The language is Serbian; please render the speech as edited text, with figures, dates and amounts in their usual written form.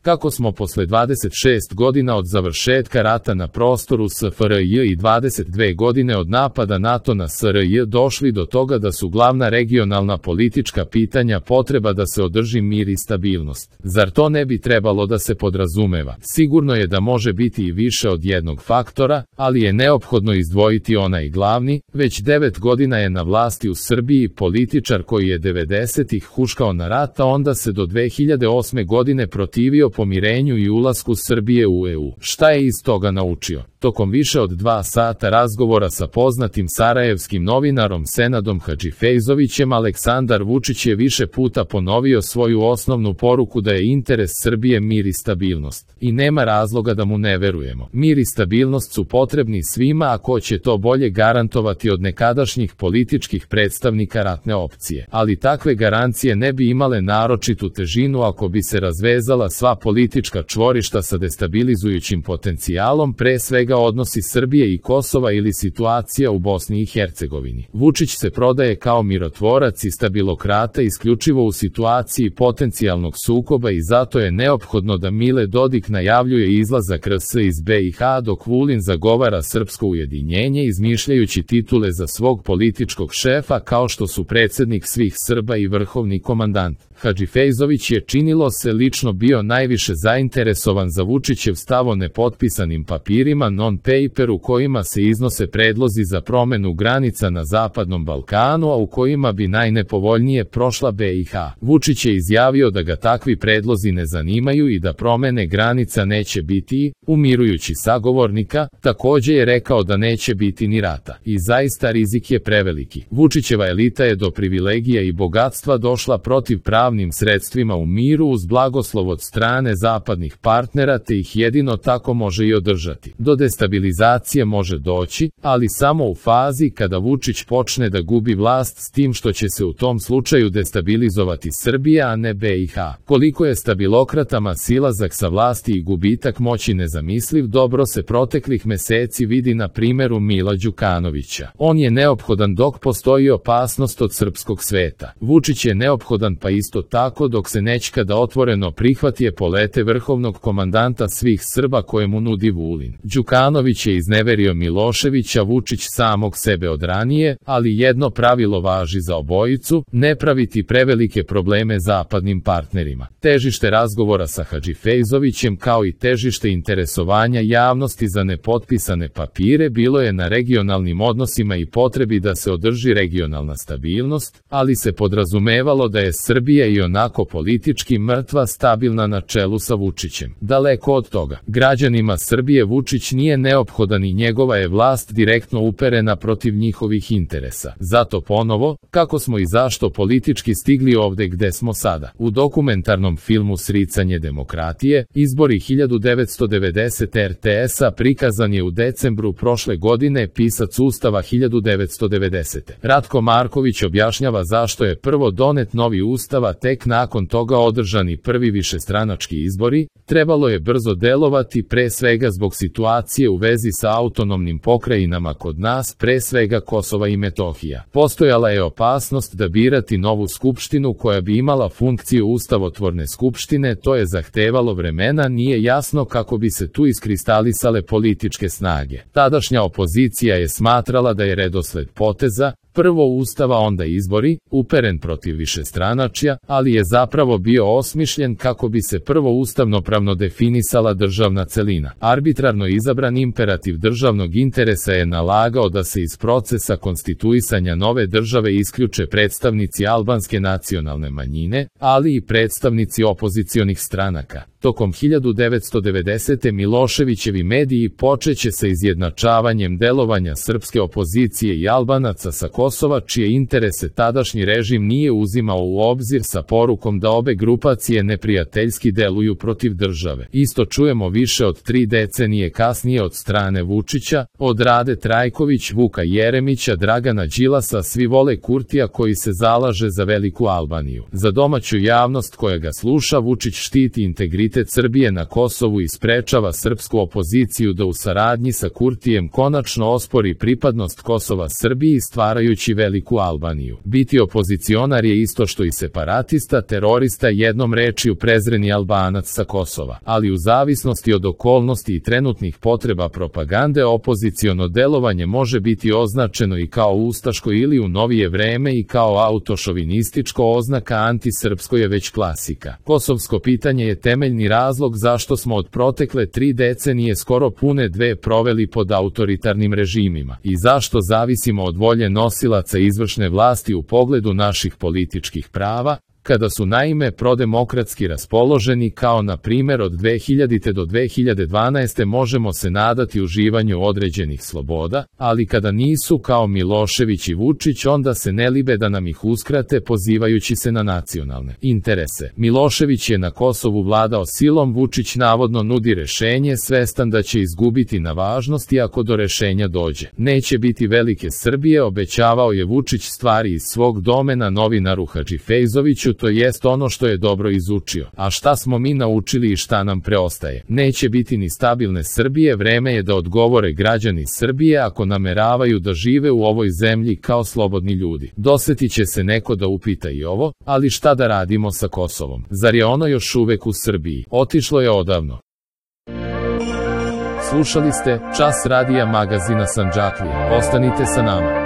kako smo posle 26 godina od završetka rata na prostoru SFRJ i 22 godine od napada NATO na SRJ došli do toga da su glavna regionalna politička pitanja potreba da se održi mir i stabilnost. Zar to ne bi trebalo da se podrazumeva? Sigurno je da može biti i više od jednog faktora, ali je neophodno izdvojiti onaj glavni. Već 9 godina je na vlasti u Srbiji političar koji je 90-ih huškao na rat, a onda se do 2008. godine protivio pomirenju i ulasku Srbije u EU. Šta je iz toga naučio? Tokom više od 2 sata razgovora sa poznatim sarajevskim novinarom Senadom Hadžifejzovićem, Aleksandar Vučić je više puta ponovio svoju osnovnu poruku da je interes Srbije mir i stabilnost. I nema razloga da mu ne verujemo. Mir i stabilnost su potrebni svima, a ko će to bolje garantovati od nekadašnjih političkih predstavnika ratne opcije. Ali takve garancije ne bi imale naročitu težinu ako bi se razvezala sva politička čvorišta sa destabilizujućim potencijalom, pre svega odnosi Srbije i Kosova ili situacija u Bosni i Hercegovini. Vučić se prodaje kao mirotvorac i stabilokrata isključivo u situaciji potencijalnog sukoba i zato je neophodno da Mile Dodik najavljuje izlazak RS iz BiH dok Vulin zagovara srpsko ujedinjenje izmišljajući titule za svog političkog šefa kao što su predsjednik svih Srba i vrhovni komandant. Hadžifejzović je, činilo se, lično bio najviše zainteresovan za Vučićev stav o nepotpisanim papirima non-paper u kojima se iznose predlozi za promenu granica na Zapadnom Balkanu, a u kojima bi najnepovoljnije prošla BiH. Vučić je izjavio da ga takvi predlozi ne zanimaju i da promene granica neće biti, umirujući sagovornika, takođe je rekao da neće biti ni rata. I zaista rizik je preveliki. Vučićeva elita je do privilegija i bogatstva došla protiv pravnim sredstvima u miru uz blagoslov od strane zapadnih partnera, te ih jedino tako može i održati. Do destabilizacije može doći, ali samo u fazi kada Vučić počne da gubi vlast, s tim što će se u tom slučaju destabilizovati Srbija, a ne BiH. Koliko je stabilokratama silazak sa vlasti i gubitak moći nezamisliv, dobro se proteklih meseci vidi na primjeru Mila Đukanovića. On je neophodan dok postoji opasnost od srpskog sveta. Vučić je neophodan pa isto tako dok se nećkada otvoreno prihvati epolete vrhovnog komandanta svih Srba koje mu nudi Vulin. Đukanović je izneverio Miloševića, Vučić samog sebe od ranije, ali jedno pravilo važi za obojicu: ne praviti prevelike probleme zapadnim partnerima. Težište razgovora sa Hadžifejzovićem kao i težište interesovanja javnosti za nepotpisane papire bilo je na regionalnim odnosima i potrebi da se održi regionalna stabilnost, ali se podrazumevalo da je Srbija i onako politički mrtva stabilna na čelu sa Vučićem. Daleko od toga. Građanima Srbije Vučić nije neophodan i njegova je vlast direktno uperena protiv njihovih interesa. Zato ponovo, kako smo i zašto politički stigli ovde gde smo sada. U dokumentarnom filmu Sricanje demokratije, izbori 1990 RTS-a prikazan je u decembru prošle godine pisac Ustava 1990. Ratko Marković objašnjava zašto je prvo donet novi ustav, a tek nakon toga održani prvi višestranački izbori. Trebalo je brzo delovati, pre svega zbog situacije u vezi sa autonomnim pokrajinama kod nas, pre svega Kosova i Metohija. Postojala je opasnost da birati novu skupštinu koja bi imala funkciju ustavotvorne skupštine, to je zahtevalo vremena, nije jasno kako bi se tu iskristalisale političke snage. Tadašnja opozicija je smatrala da je redosled poteza, prvo ustava onda izbori, uperen protiv višestranačja, ali je zapravo bio osmišljen kako bi se prvo ustavnopravno definisala državna celina. Arbitrarno izabran imperativ državnog interesa je nalagao da se iz procesa konstituisanja nove države isključe predstavnici albanske nacionalne manjine, ali i predstavnici opozicionih stranaka. Tokom 1990. Miloševićevi mediji počeće sa izjednačavanjem delovanja srpske opozicije i Albanaca sa Kosova, čije interese tadašnji režim nije uzimao u obzir, sa porukom da obe grupacije neprijateljski deluju protiv države. Isto čujemo više od 3 decenije kasnije od strane Vučića, od Rade Trajković, Vuka Jeremića, Dragana Đilasa, svi vole Kurtija koji se zalaže za veliku Albaniju. Za domaću javnost koja ga sluša, Vučić štiti integritet autoritet Srbije na Kosovu i sprečava srpsku opoziciju da u saradnji sa Kurtijem konačno ospori pripadnost Kosova Srbiji stvarajući veliku Albaniju. Biti opozicionar je isto što i separatista, terorista, jednom rečju prezreni Albanac sa Kosova, ali u zavisnosti od okolnosti i trenutnih potreba propagande opoziciono delovanje može biti označeno i kao ustaško ili u novije vreme i kao autošovinističko. Oznaka antisrpsko je već klasika. Kosovsko pitanje je temeljni razlog zašto smo od protekle 3 decenije skoro pune 2 proveli pod autoritarnim režimima i zašto zavisimo od volje nosilaca izvršne vlasti u pogledu naših političkih prava, kada su naime prodemokratski raspoloženi, kao na primjer od 2000. do 2012. možemo se nadati uživanju određenih sloboda, ali kada nisu kao Milošević i Vučić onda se ne libe da nam ih uskrate pozivajući se na nacionalne interese. Milošević je na Kosovu vladao silom, Vučić navodno nudi rešenje svestan da će izgubiti na važnosti ako do rešenja dođe. Neće biti velike Srbije, obećavao je Vučić stvari iz svog domena novinaru Hadžifejzoviću, to jest ono što je dobro izučio. A šta smo mi naučili i šta nam preostaje? Neće biti ni stabilne Srbije, vreme je da odgovore građani Srbije ako nameravaju da žive u ovoj zemlji kao slobodni ljudi. Dosetit će se neko da upita i ovo, ali šta da radimo sa Kosovom? Zar je ono još uvek u Srbiji? Otišlo je odavno. Slušali ste Čas radija magazina Sandžaklija. Ostanite sa nama.